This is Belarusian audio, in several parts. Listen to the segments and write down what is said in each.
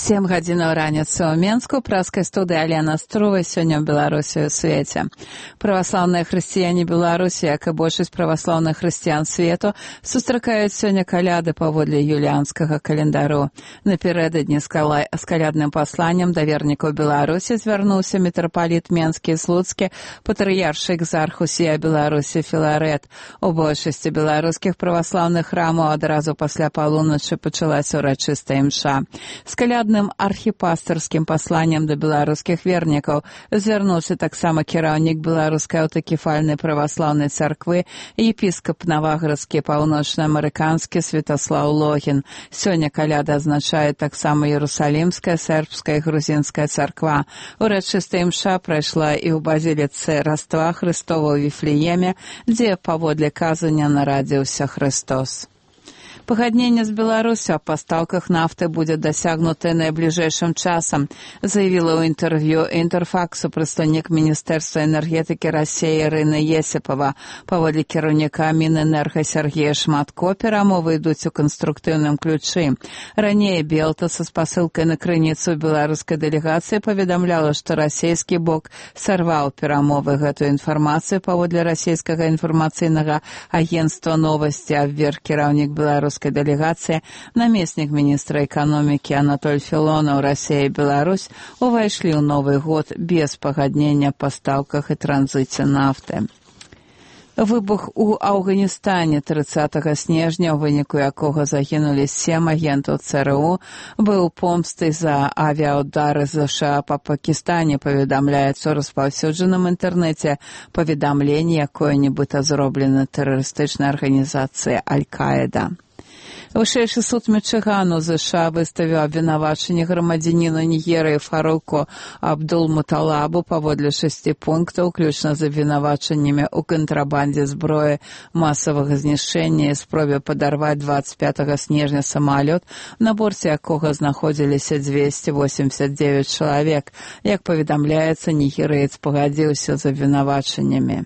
7 гадзінаў раніцы ў Менску, праскай студыі Алена Струвай, сёння ў Беларусі ў свеце. Праваслаўныя хрысціяне Беларусі, як і большасць праваслаўных хрысціян свету, сустракаюць сёння каляды паводле юліанскага календару. Напярэдадні з калядным пасланнем да вернікаў Беларусі звярнуўся мітрапаліт Менскі і Слуцкі, патрыяршы экзарх усія Беларусі Філарэт. У большасці беларускіх праваслаўных храмаў адразу пасля палуначы пачалася ўрачыстая імша. З калядным архіпастырскім пасланнем да беларускіх вернікаў звярнуўся таксама кіраўнік беларускай аўтакефальнай праваслаўнай царквы, епіскап Наваградскі паўночна-амерыканскі Святаслаў Логін. Сёння каляда азначае таксама Иерусалімская, сербская і грузінская царква. Урачыстая імша прайшла і ў базіліцы Раства Хрыстова ў Віфлееме, дзе паводле казання нарадзіўся Христос. Пагадненне з Беларусю аб пастаўках нафты будзе дасягнутае найбліжэйшым часам, заявіла ў інтэрв'ю Інтэрфаксу прадстаўнік Міністэрства энергетыкі Расіі Ірына Есіпава. Паводле кіраўніка Мінэнерга Сергея Шматко, перамовы ідуць у канструктыўным ключы. Раней Белта са спасылкай на крыніцу беларускай дэлегацыі паведамляла, што расійскі бок сарваў перамовы. Гэтую інфармацыю паводле расійскага інфармацыйнага агенцтва новасці абверг кіраўнік беларускай дэлегацыі, намеснік міністра эканомікі Анатоль Філонаў. Расія і Беларусь увайшлі ў новы год без пагаднення па стаўках і транзіце нафты. Выбух у Афганістане 30 снежня, у выніку якога загінулі 7 агентаў ЦРУ, быў помстай за авіаудары США па Пакістане, паведамляецца ў распаўсюджаным інтэрнэце паведамленне, якое нібыта зроблена тэрарыстычнай арганізацыяй Аль-Каіда. Вышэйшы суд Мічыгану США выставіў абвінавачанне грамадзяніну Нігерыі Фаруку Абдул-Муталабу паводле 6 пунктаў, уключна з абвінавачаннямі ў кантрабандзе зброі масавага знішчэння і спробе падарваць 25 снежня самалёт, на борце якога знаходзіліся 289 чалавек. Як паведамляецца, нігерыец пагадзіўся з абвінавачаннямі.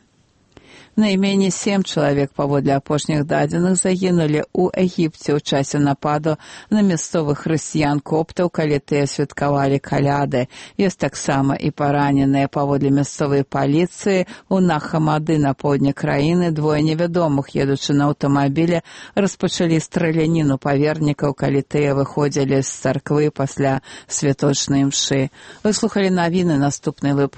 Найменей 7 чалавек паводле апошніх дадзеных загінулі ў Егіпце ў часе нападу на мясцовых хрысціян-коптаў, калі тыя святкавалі каляды. Ёсць таксама і параненыя. Паводле мясцовай паліцыі ў Нахамады на поўдні краіны двое невядомых, едучы на аўтамабілі, распачалі страляніну па вернікаў, калі тыя выходзілі з царквы пасля святочнай імшы. Вы слухалі навіны, наступны выпуск.